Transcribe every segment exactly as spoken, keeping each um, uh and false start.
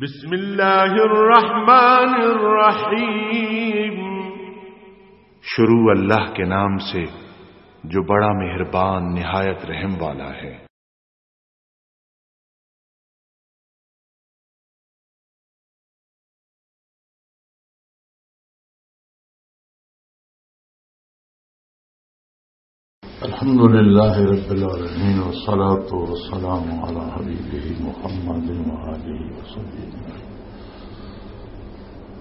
بسم اللہ الرحمن الرحیم۔ شروع اللہ کے نام سے جو بڑا مہربان نہایت رحم والا ہے۔ الحمد لله رب العالمين، والصلاة والسلام على حبيبه محمد وآله وصحبه أجمعين.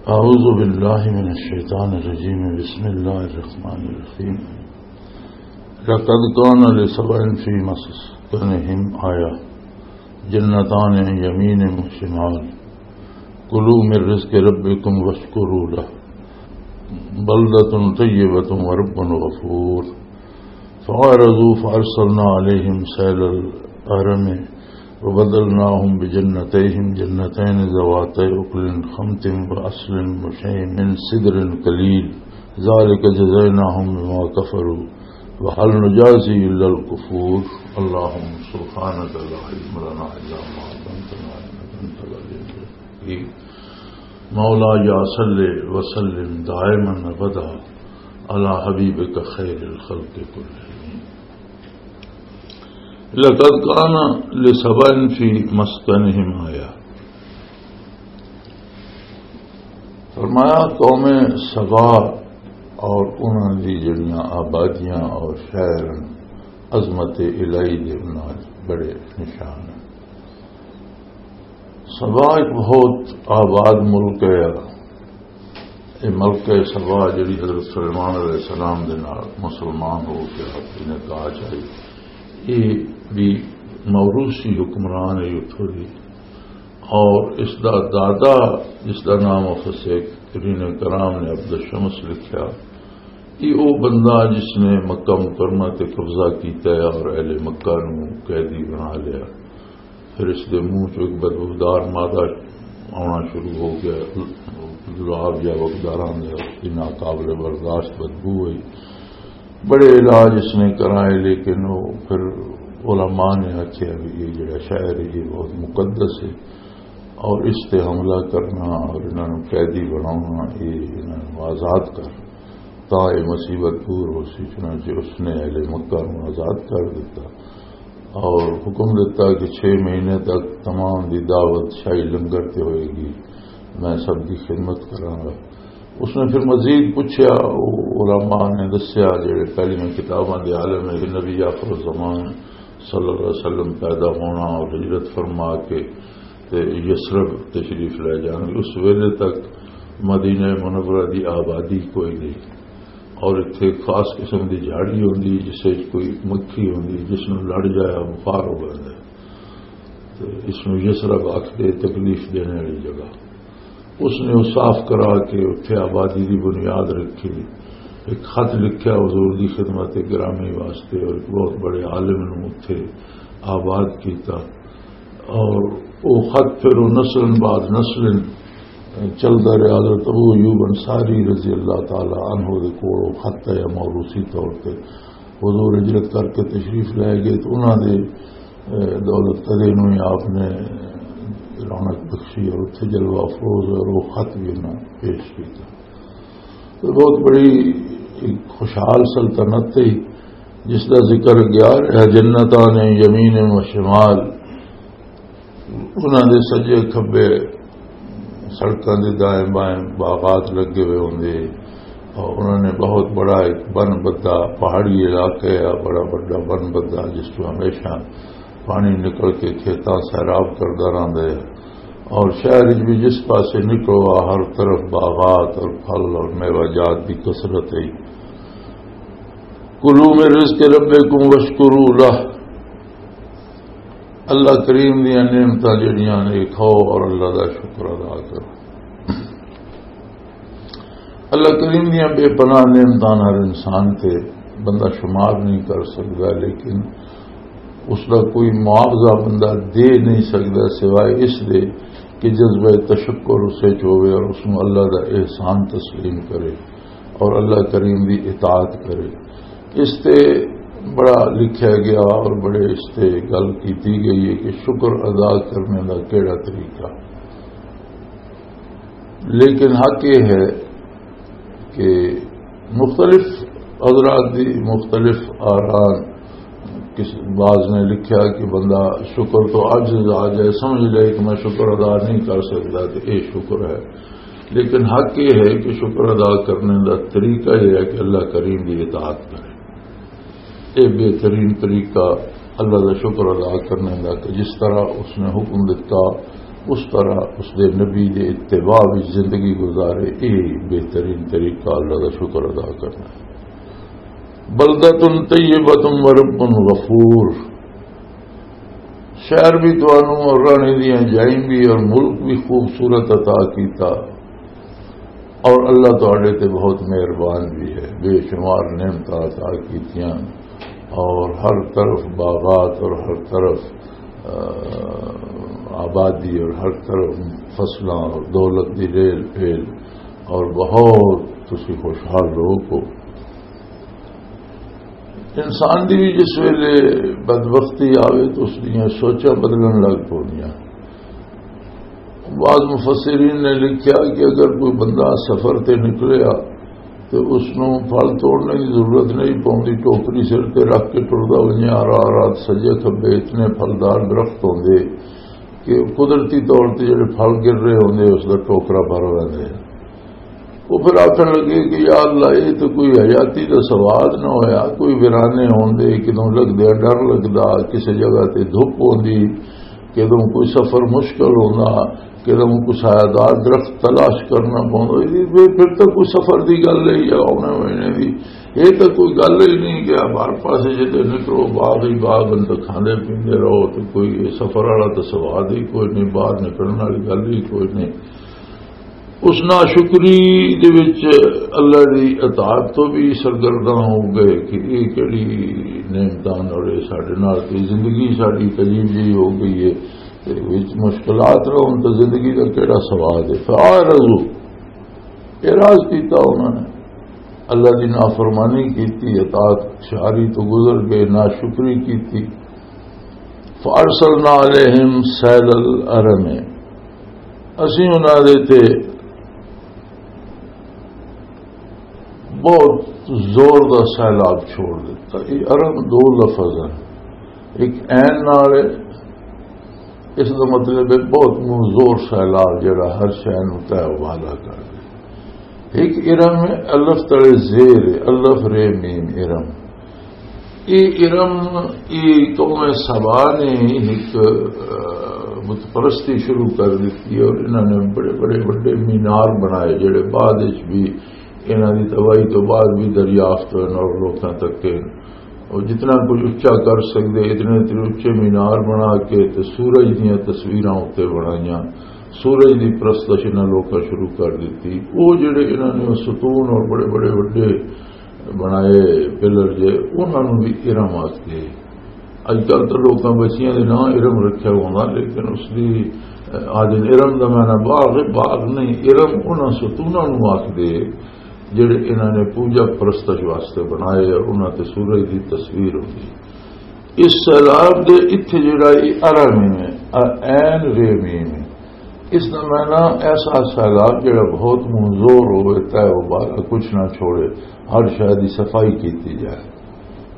أعوذ بالله من الشيطان الرجيم. بسم الله الرحمن الرحيم. لقد كان لسبأ في مسكنهم آية، جنتان عن يمين وشمال، كلوا من رزق ربكم واشكروا له، بلدة طيبة ورب غفور. فأعرضوا فأرسلنا عليهم سيل العرم وبدلناهم بجنتيهم جنتين ذواتي أكل خمط وأصل وشيء من سدر قليل، ذلك جزيناهم بما كفروا وهل نجازي إلا الكفور. اللهم سبحانك لا علم لنا إلا ما علمتنا إنك أنت العليم الحكيم. مولاي صل وسلم دائما أبدا على حبيبك خير الخلق كلهم. لقد كان لسبأ في مسكنهم آية. فرمایا، قوم سبا اور انہاں دی جڑیاں آبادیاں اور شہر عظمت الہی دے انہاں بڑے نشان ہیں۔ سبا ایک بہت آباد ملک ہے۔ یہ ملک ہے سبا، جڑی حضرت سلیمان علیہ السلام دے نال مسلمان ہو کے آپ نے کہا چاہیے، یہ بھی موروثی حکمران ہے اتھوں دی۔ اور اس دا دادا، جس دا نام افسیک رین کرام نے عبد الشمس لکھیا، یہ وہ بندہ جس نے مکہ مکرمہ تے قبضہ کیتا ہے اور اہل مکہ نو قیدی بنا لیا۔ پھر اس دے منہ چوں ایک بدبودار مادہ آنا شروع ہو گیا، گلاب یا وگداراں دے، اس دی ناقابل برداشت بدبو ہوئی۔ بڑے علاج اس نے کرائے، لیکن وہ پھر علماء نے آکھیا بھی یہ جڑا شہر ہے، یہ بہت مقدس ہے، اور اس تے حملہ کرنا اور انہاں نوں قیدی بناونا، یہ انہاں نوں آزاد کر، تاں یہ مصیبت دور ہو سی۔ چنانچہ اس نے اہل مکہ نوں آزاد کر دیتا اور حکم دیتا کہ چھ مہینے تک تمام دی دعوت شاہی لنگر تے ہوئے گی، میں سب دی خدمت کراں گا۔ اس نے پھر مزید پوچھا، وہ علماء نے دسیا، جڑے پہلیاں کتاباں دے عالم ہیں، کہ نبی آخر الزمان صلی اللہ علیہ وسلم پیدا ہونا اور ہجرت فرما کے تے یثرب تشریف لے جان گے، اس ویلے تک مدینہ منورہ دی آبادی کوئی نہیں، اور اتھے خاص قسم دی جھاڑی ہوندی، جس وچ کوئی مکھی ہوندی، جس نوں لڑ جایا بخار ہو جاندا ہے۔ تے اس نوں یثرب آکھدے، تکلیف دینے والی جگہ۔ اس نے وہ صاف کرا کے اتھے آبادی دی بنیاد رکھی۔ ایک خط لکھیا حضور دی خدمت گرامی واسطے، اور ایک بہت بڑے عالم نوں اتھے آباد کیتا۔ اور وہ خط پھر وہ نسل بعد نسل چلدا رہیا۔ حضرت ابو ایوب انصاری رضی اللہ تعالی عنہ دے کول وہ خط آیا موروثی طور تے۔ حضور ہجرت کر کے تشریف لے گئے تو انہاں دے، اے، دولت قدے نوں ہی آپ نے رونق بخشی اور اتھے جلوہ افروز اور وہ خط بھی انہاں پیش کیتا۔ تو بہت بڑی ایک خوشحال سلطنت تھی، جس دا ذکر گیا رہا، جنتان یمین و شمال، انہاں دے سجے کھبے سڑکاں دے دائیں بائیں باغات لگے ہوئے ہوندے، اور انہاں نے بہت بڑا ایک بن بدا، پہاڑی علاقہ ہے، بڑا بڑا بن بدا، جس تو ہمیشہ پانی نکل کے کھیتاں سیراب کردا رہندا ہے۔ اور شہر وچ بھی جس پاسے نکلو، ہر طرف باغات اور پھل اور میوہ جات دی کثرت ہے۔ کلوا من رزق ربکم واشکروا لہ، اللہ کریم دیاں نعمتاں جڑیاں نے، کھاؤ اور اللہ دا شکر ادا کرو۔ اللہ کریم دیاں بے پناہ نعمتاں ہر انسان تے بندہ شمار نہیں کر سکدا، لیکن اس دا کوئی معاوضہ بندہ دے نہیں سکدا سوائے اس دے کہ جذبہ تشکر اسے چ ہوے اور اس نوں اللہ دا احسان تسلیم کرے اور اللہ کریم دی اطاعت کرے۔ اس تے بڑا لکھیا گیا اور بڑے اس تے گل کیتی گئی ہے کہ شکر ادا کرنے دا کیڑا طریقہ۔ لیکن حق یہ ہے کہ مختلف حضرات دی مختلف آران، کس بعض نے لکھیا کہ بندہ شکر تو عاجز آ جائے، سمجھ لے کہ میں شکر ادا نہیں کر سکتا، تو یہ شکر ہے۔ لیکن حق یہ ہے کہ شکر ادا کرنے دا طریقہ یہ ہے کہ اللہ کریم دی اطاعت کرے۔ یہ بہترین طریقہ اللہ دا شکر ادا کرنے دا کہ جس طرح اس نے حکم دیتا، اس طرح اس دے نبی دے اتباع وچ زندگی گزارے۔ یہ بہترین طریقہ اللہ دا شکر ادا کرنا ہے۔ بلدۃ طیبۃ ورب غفور۔ شہر بھی تانوں اور رہنے دیاں جائیں بھی اور ملک بھی خوبصورت عطا کیتا، اور اللہ تہاڈے تے بہت مہربان بھی ہے، بے شمار نعمتاں عطا کیتیاں، اور ہر طرف باغات اور ہر طرف، آ، آبادی اور ہر طرف فصلاں اور دولت دی ریل پھیل، اور بہت تسی خوشحال لوگ ہو۔ انسان دی بھی جس ویلے بدبختی آوے تو اس دیاں سوچاں بدلن لگ پوندیاں۔ بعض مفسرین نے لکھیا کہ اگر کوئی بندہ سفر تے نکلیا تو اس نوں پھل توڑنے کی ضرورت نہیں پوندی، ٹوکری سر تے رکھ کے ٹردا ونجے، آ رات رات سجے کھبے اتنے پھلدار درخت ہوندے کہ قدرتی طور تے جڑے پھل گر رہے ہوندے اس دا ٹوکرا بھر لیندے۔ وہ پھر آکھن لگے کہ یا اللہ، یہ تو کوئی حیاتی دا سواد نہ ہویا، کوئی ویرانے ہوندے، کدوں لگدے ڈر لگدا، کسے جگہ تے دھپ ہوندی، کدوں کوئی سفر مشکل ہوندا، کدوں کوئی سایہ دار درخت تلاش کرنا پوندا۔ یہ پھر، پھر تو کوئی سفر دی گل ہے یا آنے مہینے دی، یہ تو کوئی گل ہی نہیں کہ آپ ہر پاسے جدے نکلو باغ ہی باغ، اندر کھاندے پیندے رہو، تو کوئی یہ سفر والا تو سواد ہی کوئی نہیں، باہر نکلنے والی گل ہی کوئی نہیں۔ اس ناشکری دے وچ اللہ دی اطاعت تو بھی سرگرداں ہو گئے کہ یہ کیڑی نعمتاں اور یہ ساڈے نال تے زندگی ساڈی عجیب جی ہو گئی ہے، تے وچ مشکلات رہن تے زندگی دا کیڑا سواد ہے؟ فاعرضوا، اعراض کیتا انہوں نے، اللہ دی نافرمانی کیتی، اطاعت شاری تو گزر گئے، ناشکری کیتی۔ فارسلنا علیہم سیل العرم، اسی انہاں دے تے بہت زور دا سیلاب چھوڑ دیتا۔ یہ عرم دو لفظ ہیں، ایک عین نال ہے، اس دا مطلب ہے بہت منہ زور سیلاب جڑا ہر شے نوں تہہ و بالا کر دے۔ ایک ارم ہے، الف تلے زیر ہے، الف رے میم ارم۔ یہ ارم، یہ قوم سبا نے ایک، آ، بت پرستی شروع کر دیتی ہے اور انہوں نے بڑے بڑے وڈے مینار بنائے، جڑے بعد وچ بھی، انہاں دی تباہی تو بعد بھی دریافت ہوئے اور لوکاں تک کے اور جتنا کچھ اچا کر سکدے، اتنے اتنے اچے مینار بنا کے تے سورج دیاں تصویراں اتنے بنائیاں۔ سورج دی پرستش انہاں لوکاں شروع کر دتی۔ وہ جڑے انہاں نے ستون اور بڑے بڑے وڈے بنائے، پلر جے، انہاں نوں بھی ارم آکھدے۔ اج کل تو لوکاں بچیاں دے ناں ارم رکھیا ہوندا، لیکن اس دی، آج ارم دا معنی باغ ہے، باغ نہیں، ارم انہاں ستوناں نوں آکھدے جڑے انہاں نے پوجا پرستش واسطے بنائے اور انہاں تے سورج دی تصویر ہوندی۔ اس سیلاب دے اتھے جڑا یہ ارم ہے، آ عین رے میم ہے۔ اس دا معنی ایسا سیلاب جڑا بہت منظور ہوئے، تہہ و بالا کچھ نہ چھوڑے، ہر شے دی صفائی کیتی جائے،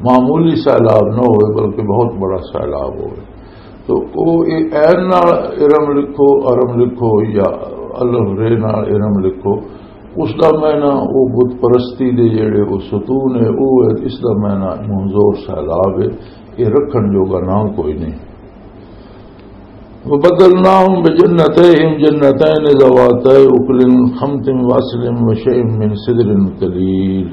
معمولی سیلاب نہ ہوئے بلکہ بہت بڑا سیلاب ہوئے۔ تو او اے عین نال ارم لکھو، ارم لکھو، یا الف رے نال ارم لکھو، اس دا معنی او بت پرستی دے جڑے او ستون ہے، او ہے، اس دا معنی منظور سیلاب ہے، یہ رکھن جوگا نہ کوئی نہیں۔ وبدلناهم بجنتيهم جنتين ذواتي أكل خمط وعسل وشيء من سدر قليل۔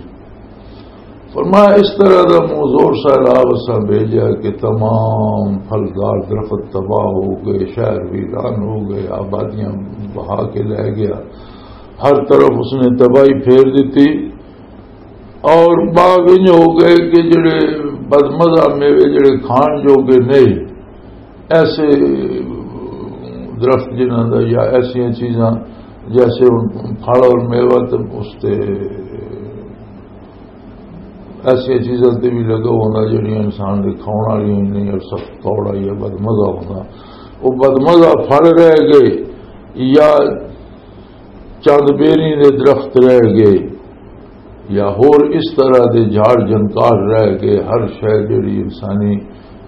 فرمایا، اس طرح دا منظور سیلاب اساں بھیجا کہ تمام پھلدار درخت تباہ ہو گئے، شہر ویران ہو گئے، آبادیاں بہا کے لے گیا، ہر طرف اس نے تباہی پھیر دیتی۔ اور باغ انج ہو گئے کہ جڑے بدمزہ میوے جڑے کھان جوگے نہیں، ایسے درخت جنہاں دا یا ایسیاں چیزاں جیسے ہن پھل اور میوہ تے اس تے ایسیاں چیزاں تے بھی لگا ہونا جڑیاں انسان دے کھاؤن والیاں ہی نہیں اور سخت کوڑا یا بدمزہ ہونا، وہ بدمزہ پھل رہ گئے یا چند بیری دے درخت رہ گئے، یا ہور اس طرح دے جھاڑ جھنکار رہ گئے، ہر شے جڑی انسانی،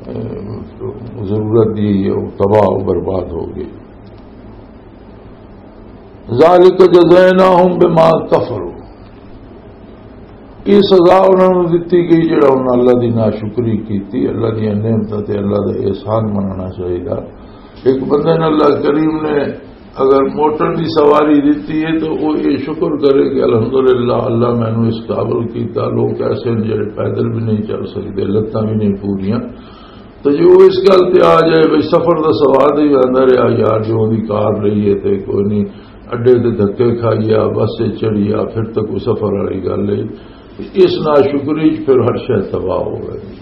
اے، ضرورت دی ہے، وہ تباہ و برباد ہو گئی۔ ذالک جزیناہم بما کفروا، یہ سزا انہاں نوں دتی گئی جڑا انہاں اللہ دی ناشکری کیتی، اللہ دی نعمتاں تے اللہ دا احسان منانا چاہیدا۔ ایک بندے نے اللہ کریم نے اگر موٹر دی سواری دتی ہے تو وہ یہ شکر کرے کہ الحمدللہ اللہ مینوں اس قابل کیتا۔ لوگ ایسے ہیں جڑے پیدل بھی نہیں چل سکتے، لتاں بھی نہیں پوریاں۔ تو جو اس گل تے آ جائے بھئی سفر دا سواد ہی آندا رہیا یار، جو دی کار لئی ہے تے کوئی نہیں، اڈے تے دھکے کھائی آ، بس تے چڑھی آ، پھر تے کوئی سفر والی گل ہے۔ اس ناشکری چ پھر ہر شے تباہ ہو گئی۔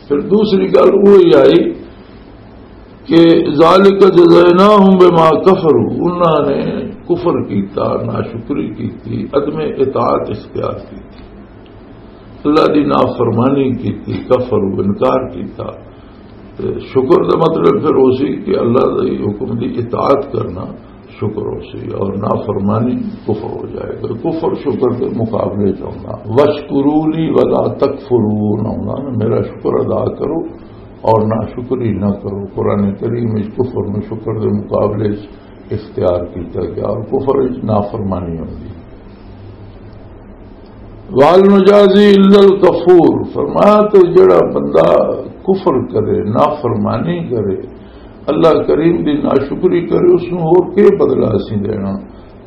پھر دوسری گل وہی آئی کہ ذالک جزیناہم بما کفروا، انہاں نے کفر کیتا، ناشکری کیتی، عدم اطاعت اختیار کیتی، اللہ دی نافرمانی کیتی، کفر و انکار کیتا۔ تے شکر دا مطلب پھر ہو سی کہ اللہ دے حکم دی اطاعت کرنا شکر ہو سی، اور نافرمانی کفر ہو جائے گا۔ کفر شکر دے مقابلے چ ہونا۔ وَاشْكُرُوا لِي وَلَا تَكْفُرُونَ ہونا، میرا شکر ادا کرو اور ناشکری نہ کرو۔ قرآن کریم وچ کفر نو شکر دے مقابلے چ اختیار کیتا گیا اور کفر وچ نافرمانی ہوندی۔ وَهَلْ نُجَازِي إِلَّا الْكَفُورَ، فرمایا تو جڑا بندہ کفر کرے، نافرمانی کرے، اللہ کریم دی ناشکری کرے، اس نوں ہور کی بدلہ اسی دینا؟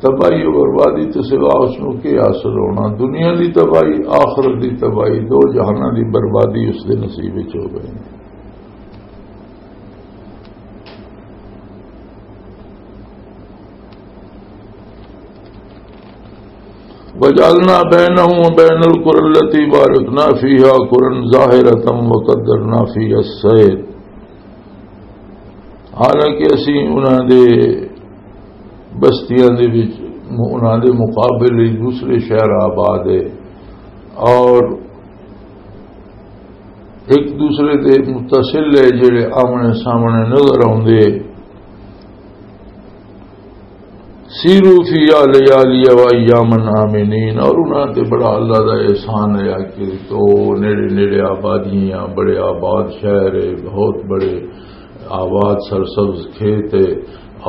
تباہی و بربادی تو سوا اس نوں کی حاصل ہونا؟ دنیا دی تباہی، آخرت دی تباہی، دو جہاناں دی بربادی اس دے نصیب وچ ہو گئی۔ وَجَعَلْنَا بَيْنَهُمْ وَبَيْنَ الْقُرَى الَّتِي بَارَكْنَا فِيهَا قُرًى ظَاهِرَةً وَقَدَّرْنَا فِيهَا السَّيْرَ۔ حالانکہ اسی انہاں دے بستیاں دے وچ، انہاں دے مقابلے دوسرے شہر آباد ہے، اور ایک دوسرے دے متصل ہے، جڑے آمنے سامنے نظر آوندے۔ سیروا فیہا لیالی و ایاما آمنین، اور انہاں تے بڑا اللہ دا احسان ہے کہ تو نیڑے نیڑے آبادیاں، بڑے آباد شہر ہے، بہت بڑے آباد سرسبز کھیت ہے،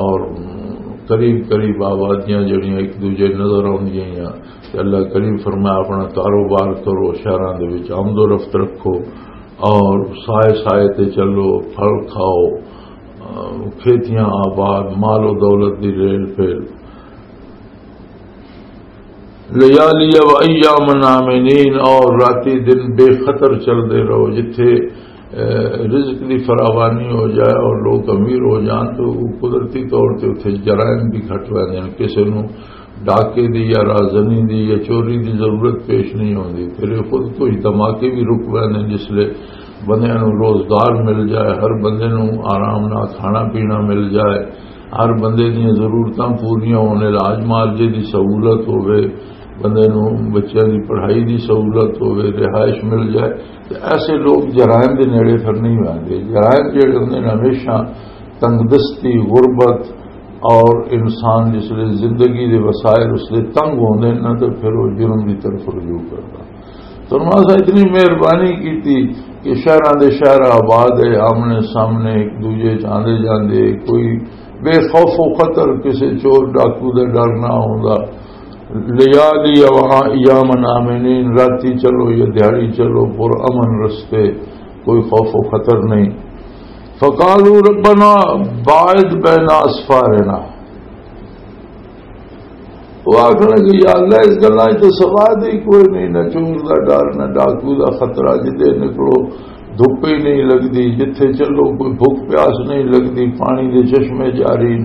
اور قریب قریب آبادیاں جڑیاں ایک دوجے نظر آوندیاں ہیں۔ تے اللہ کریم فرمایا، اپنا کاروبار کرو، شہراں دے وچ آمد و رفت رکھو، اور سائے سائے تے چلو، پھل کھاؤ، کھیتیاں آباد، مال و دولت دی ریل پھیل۔ لیالی و ایام آمنین، اور راتی دن بے خطر چل دے رہو، جتھے، اے، رزق دی فراوانی ہو جائے اور لوگ امیر ہو جان تو وہ قدرتی طور تے اتھے جرائم بھی گھٹ ویندے ہیں۔ کسے نوں ڈاکے دی یا رازنی دی یا چوری دی ضرورت پیش نہیں ہوندی۔ پھر یہ خود کوئی دھماکے بھی رک ویندے ہیں، جس لے بندے نوں روزگار مل جائے، ہر بندے نوں آرام نال کھانا پینا مل جائے، ہر بندے دیاں ضرورتاں پوریاں ہون، علاج معالجے دی سہولت ہووے، بندے نوں بچیاں دی پڑھائی دی سہولت ہووے، رہائش مل جائے، تے ایسے لوگ جرائم دے نیڑے پھر نہیں ہوندے۔ جرائم جڑے ہوندے نے ہمیشہ تنگ دستی، غربت، اور انسان جس لئے زندگی دے وسائل اس لئے تنگ ہوندے نے، تے پھر وہ جرم دی طرف رجوع کردا۔ فرمایا، اساں اتنی مہربانی کیتی کہ شہراں دے شہر آباد ہے، آمنے سامنے ایک دوجے چ آندے جاندے، کوئی بے خوف و خطر، کسے چور ڈاکو دا ڈر نہ ہوندا۔ لیالی و ایام آمنین، راتی چلو یا دیہاڑی چلو، پر امن رستے، کوئی خوف و خطر نہیں۔ فقالوا ربنا باعد بین اسفارنا، وہ آخر کہ یا اللہ، اس گلا تو سواد ہی کوئی نہیں، نہ چور دا ڈر، نہ ڈاکو دا خطرہ، جدے نکلو دھپ ہی نہیں لگدی، جتھے چلو کوئی بھوک پیاس نہیں لگدی، پانی دے چشمے جاری،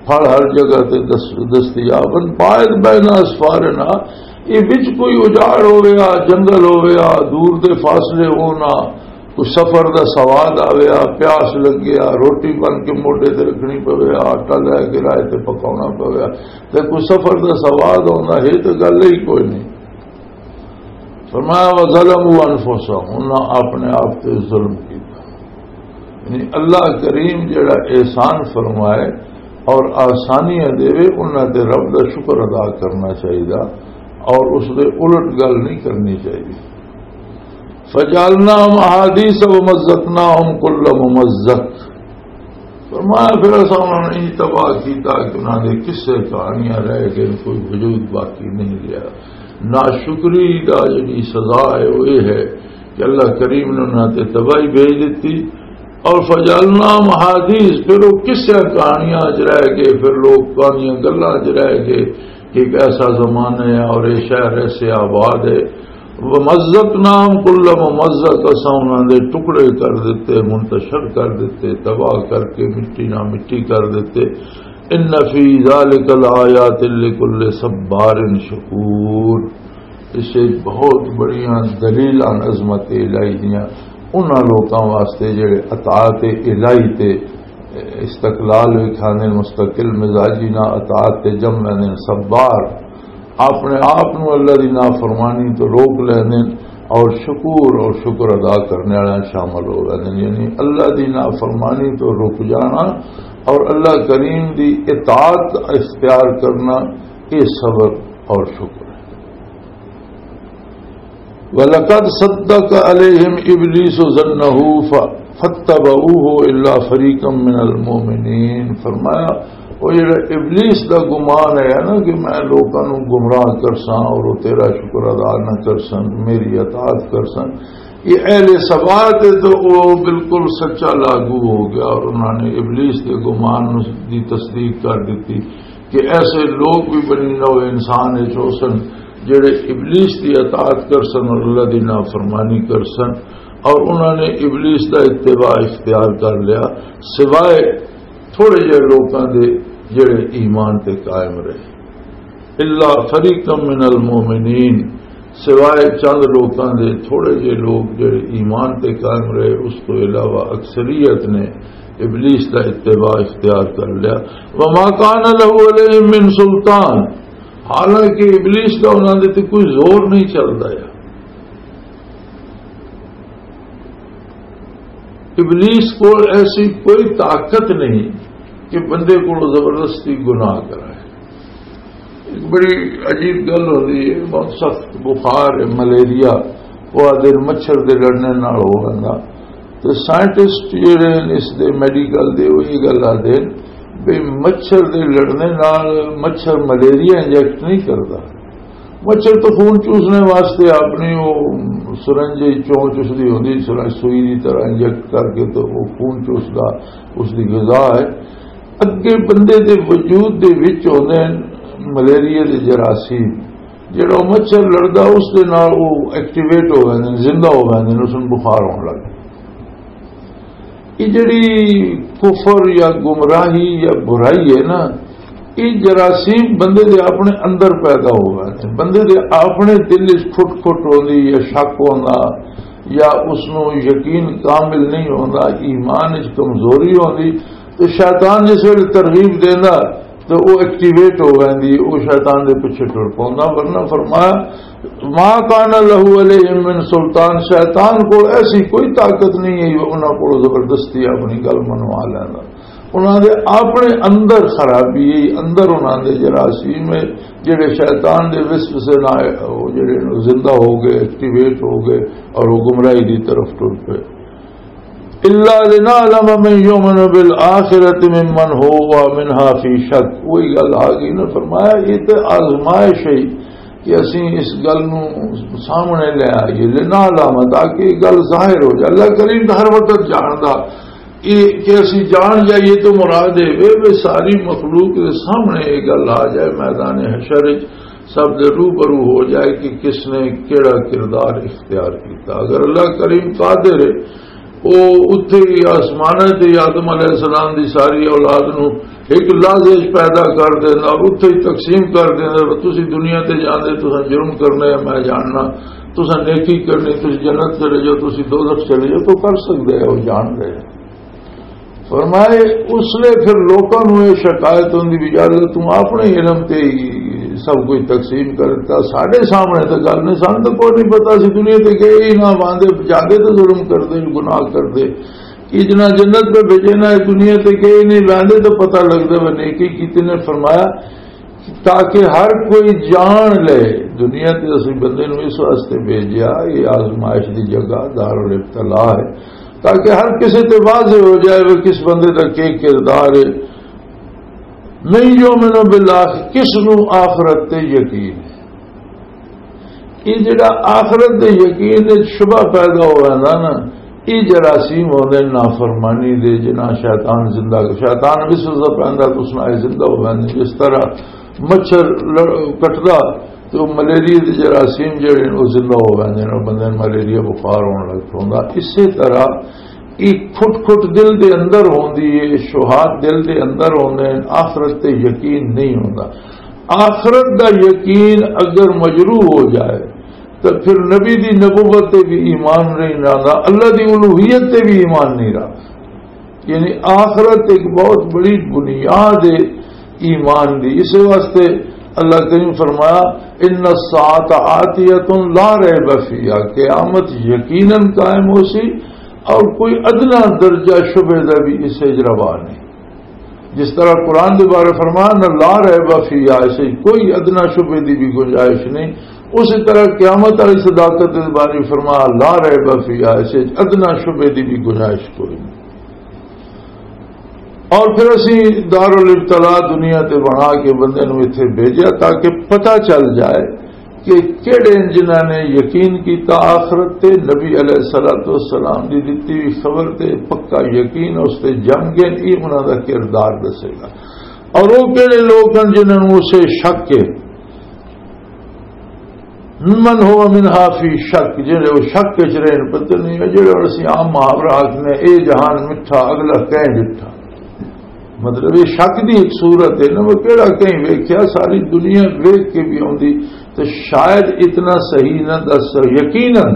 پھل ہر جگہ تے دس-، دستیاب ہن۔ باعد بین اسفارنا، یہ وچ کوئی اجاڑ ہویا، جنگل ہویا، دور دے فاصلے ہونا، کوئی سفر دا سواد آویا، پیاس لگیا، روٹی بن کے موڈے تے رکھنی پوے، آٹا لے کے رائے تے پکاونا پوے، تے کوئی سفر دا سواد ہوندا ہے تے گل ہی کوئی نہیں۔ فرمایا، وَظَلَمُوا أَنفُسَهُمْ، انہاں اپنے آپ تے ظلم کیتا۔ یعنی اللہ کریم جڑا احسان فرمائے، اور آسانیاں دے، انہاں تے رب دا شکر ادا کرنا چاہیدا اور اس دے الٹ گل نہیں کرنی چاہیدی۔ فجعلناهم احاديث ومزقناهم كل ممزق۔ فرمایا، پھر اساں انہاں نے انج تباہ کیتا کہ انہاں دے قصے کہانیاں رہ گئے، کوئی وجود باقی نہیں رہیا۔ ناشکری دا جڑی سزا ہے، وہ یہ ہے کہ اللہ کریم نے انہاں تے تباہی بھیج دتی۔ اور فجعلناهم احاديث، پھر وہ قصے کہانیاں چ رہ گئے، پھر لوگ کہانیاں گلاں چ رہ گئے کہ ایک ایسا زمانہ ہے اور یہ شہر ایسے آباد ہے۔ ومزقناهم كل ممزق، اساں انہاں دے ٹکڑے کر دتے، منتشر کر دتے، تباہ کر کے مٹی نہ مٹی کر دتے۔ ان في ذلك لآيات لكل صبار شكور۔ اس وچ بہت بڑیاں دلیلاں عظمت الہی دیاں انہاں لوکاں واسطے جڑے اطاعت الہی تے استقلال وکھاندے، مستقل مزاجی نہ اطاعت تے جم ویندے، صبار، اپنے آپ نو اللہ دی نافرمانی تو روک لیندے اور شکور اور شکر ادا کرنے والے شامل ہو ویندے۔ یعنی اللہ دی نافرمانی تو رک جانا اور اللہ کریم دی اطاعت اختیار کرنا، یہ صبر اور شکر ہے۔ وَلَقَدْ صَدَّقَ عَلَيْهِمْ إِبْلِيسُ ظَنَّهُ ف-، فَاتَّبَعُوهُ إِلَّا فَرِيقًا مِّنَ الْمُؤْمِنِينَ۔ فرمایا، وہ جڑا ابلیس دا گمان ہے نا کہ میں لوکاں نوں گمراہ کرساں اور وہ تیرا شکر ادا نہ کرسن، میری اطاعت کرسن، یہ اہل سبا تے تو وہ بالکل سچا لاگو ہو گیا اور انہوں نے ابلیس دے گمان دی تصدیق کر دیتی۔ کہ ایسے لوگ بھی بنی نوع انسان وچ ہو سن جڑے ابلیس دی اطاعت کر سن اور اللہ دی نافرمانی کر سن، اور انہاں نے ابلیس دا اتباع اختیار کر لیا، سوائے تھوڑے جے لوکاں دے جڑے ایمان تے قائم رہے۔ الا فریقا من المؤمنین، سوائے چند لوکاں دے، تھوڑے جے لوگ جڑے ایمان تے قائم رہے، اس تو علاوہ اکثریت نے ابلیس دا اتباع اختیار کر لیا۔ وما کان لہ علیہم من سلطان، حالانکہ ابلیس دا انہاں دے تے کوئی زور نہیں چلدا ہے۔ ابلیس کول ایسی کوئی طاقت نہیں کہ بندے کو زبردستی گناہ کرائے۔ ایک بڑی عجیب گل ہوندی ہے، بہت سخت بخار ہے، ملیریا، وہ آدھے مچھر دے لڑنے نال ہو ویندا۔ تے سائنٹسٹ جڑے نے اس دے، میڈیکل دے، وہ یہ گل آدھے بھی مچھر دے لڑنے نال مچھر ملیریا انجیکٹ نہیں کردا۔ مچھر تو خون چوسنے واسطے اپنی وہ سرنج چوں چسدی ہوندی، سرنج سوئی دی طرح انجیکٹ کر کے تو وہ خون چوسدا، اس دی غذا ہے۔ اگے بندے دے وجود دے وچ ہوندے نے ملیریا دے جراثیم، جڑا مچھر لڑدا اس دے نال وہ ایکٹیویٹ ہو ویندے نے، زندہ ہو ویندے نے، اس نوں بخار ہون لگ پیندا۔ یہ جڑی کفر یا گمراہی یا برائی ہے نا، یہ جراثیم بندے دے اپنے اندر پیدا ہو ویندے نے، بندے دے اپنے دل وچ کھٹ کھٹ ہوندی یا شک ہوندا یا اس نوں یقین کامل نہیں ہوندا، ایمان وچ کمزوری ہوندی، تو شیطان جس ویلے ترغیب دیندا تو وہ ایکٹیویٹ ہو ویندی، وہ شیطان دے پیچھے ٹر پوندا۔ ورنہ فرمایا، ما کان لہ علیہم من سلطان، شیطان کو ایسی کوئی طاقت نہیں ہے وہ انہاں کو زبردستی اپنی گل منوا لیندا۔ انہاں دے اپنے اندر خرابی ہے، اندر انہاں دے جراثیم ہے، جڑے شیطان دے وسوسے نال وہ جڑے زندہ ہو گئے، ایکٹیویٹ ہو گئے اور وہ گمراہی دی طرف ٹر پئے۔ الا لنعلم من یؤمن بالآخرۃ ممن ھو منھا فی شک۔ وہی گل آ گئی نا، فرمایا یہ تے آزمائش ہے کہ اسی اس گل نو سامنے لے آئیے، لنعلم، تاکہ یہ گل ظاہر ہو جائے۔ اللہ کریم تو ہر وقت جاندا، یہ کہ اسی جان جائیے تو مراد ہے وے، وے ساری مخلوق دے سامنے یہ گل آ جائے میدان حشر وچ، سب دے روبرو ہو جائے کہ کس نے کیڑا کردار اختیار کیتا۔ اگر اللہ کریم قادر ہے، وہ اتھے ہی آسماناں تے آدم علیہ السلام دی ساری اولاد نو ایک لحظے وچ پیدا کر دیندا اور اتھے ہی تقسیم کر دیندا، تسی دنیا تے جاندے، تساں جرم کرنا ہے، میں جاننا، تساں نیکی کرنی، تسی جنت چلے جاؤ، تسی دوزخ چلے جاؤ، تو کر سکدے ہو، جان رہے۔ فرمائے، اس لیے پھر لوکاں نوں یہ شکایت ہوندی بھی، "یار، توں اپنے علم تے ہی سب کچھ تقسیم کر دتا، ساڈے سامنے تے گل نہیں، سانوں تے کوئی نہیں پتا، اسی دنیا تے گئے ہی نہ، واندے جاندے تے ظلم کردے، گناہ کردے۔" کہ جنہاں جنت پہ بھیجے نا، دنیا تے کہیں نہیں لاندے، تو پتہ لگدا وہ نیکی کیتی نے۔ فرمایا، تاکہ ہر کوئی جان لے، دنیا تے اسی بندے نوں اس واسطے بھیجیا، یہ آزمائش دی جگہ دارالابتلاء ہے، تاکہ ہر کسی تے واضح ہو جائے وہ کس بندے دا کی کردار ہے۔ من یؤمن بالآخرۃ، کس نوں آخرت تے یقین ہے؟ یہ جڑا آخرت دے یقین وچ شبہ پیدا ہو ویندا نا، یہ جراثیم ہوندے نافرمانی دے، جنہاں شیطان زندہ، شیطان وسوسہ پیندا تے اس نال زندہ ہو ویندے۔ جس طرح مچھر لڑ-، کٹدا تے وہ ملیریا دے جراثیم جڑے نے، وہ زندہ ہو ویندے نے، بندے نوں ملیریا بخار ہون لگ پوندا۔ اسی طرح یہ کھٹ کھٹ دل دے اندر ہوندی ہے، شبہات دل دے اندر ہوندے ہیں، آخرت تے یقین نہیں ہوندا۔ آخرت دا یقین اگر مجروح ہو جائے تو پھر نبی دی نبوت تے بھی ایمان نہیں رہندا، اللہ دی الوہیت تے بھی ایمان نہیں رہا۔ یعنی آخرت ایک بہت بڑی بنیاد ہے ایمان دی۔ اس واسطے اللہ کریم فرمایا، ان الساعۃ آتیۃ لا ریب فیہا، قیامت یقیناً قائم ہو سی اور کوئی ادنا درجہ شبہ دا بھی اس وچ روا نہیں۔ جس طرح قرآن دے بارے فرمایا نا، لا ریب فیہا، اس وچ کوئی ادنا شبہ دی بھی گنجائش نہیں، اسی طرح قیامت والی صداقت دے بارے فرمایا، لا ریب فیہا، اس وچ ادنا شبہ دی بھی گنجائش کوئی نہیں۔ اور پھر اسی دارالابتلاء دنیا تے بنا کے بندے نوں اتھے بھیجیا تاکہ پتہ چل جائے کہ کہڑے جنہاں نے یقین کیتا آخرت تے، نبی علیہ الصلوۃ والسلام دی دتی ہوئی خبر تے پکا یقین اس تے جم گئے، یہ انہاں دا کردار دسے گا۔ اور وہ کہڑے لوگ ہیں جنہاں نوں اسے شک ہے، من هو منها في شك، جڑے وہ شک وچ رہن، پتہ نہیں ہے، جڑے ہن اسی عام محاورہ آکھنے، اے جہان مٹھا، اگلا کہیں ڈٹھا۔ مطلب، یہ شک دی ایک صورت ہے نا، وہ کہڑا کہیں ویکھیا، ساری دنیا ویکھ کے بھی آندی، تو شاید اتنا صحیح نہ دس سک-، یقیناً،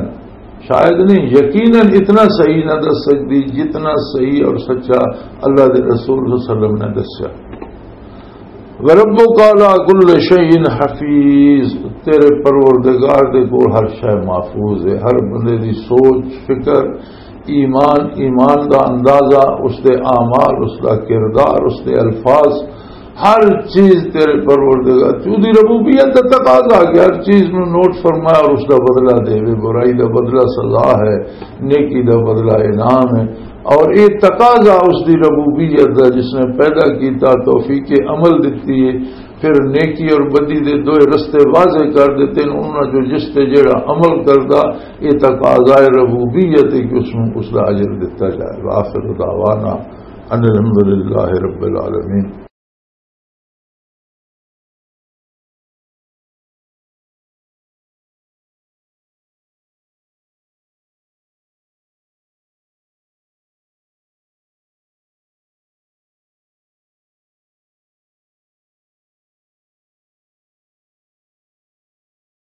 شاید نہیں، یقیناً اتنا صحیح نہ دس سکدی جتنا صحیح اور سچا اللہ دے رسول صلی اللہ علیہ وسلم نے دسیا۔ وَرَبُّكَ عَلَىٰ كُلِّ شَيْءٍ حَفِيظٌ، تیرے پروردگار دے کول ہر شے محفوظ ہے، ہر بندے دی سوچ، فکر، ایمان، ایمان دا اندازہ، اس دے اعمال، اس دا کردار، اس دے الفاظ، ہر چیز تیرے پروردگار، تو دی ربوبیت دا تقاضا کہ ہر چیز نو نوٹ فرمایا اور اس دا بدلہ دے، برائی دا بدلہ سزا ہے، نیکی دا بدلہ انعام ہے۔ اور یہ تقاضا اس دی ربوبیت دا، جس نے پیدا کیتا، توفیق عمل دتی ہے، پھر نیکی اور بدی دے دوئے رستے واضح کر دیتے ہیں۔ انہاں جو جس تے جڑا عمل کردا، یہ تقاضا ربوبیت ہے کہ اس نوں اس دا اجر دتا جائے۔ وآخر دعوانا ان الحمد للہ رب العالمین۔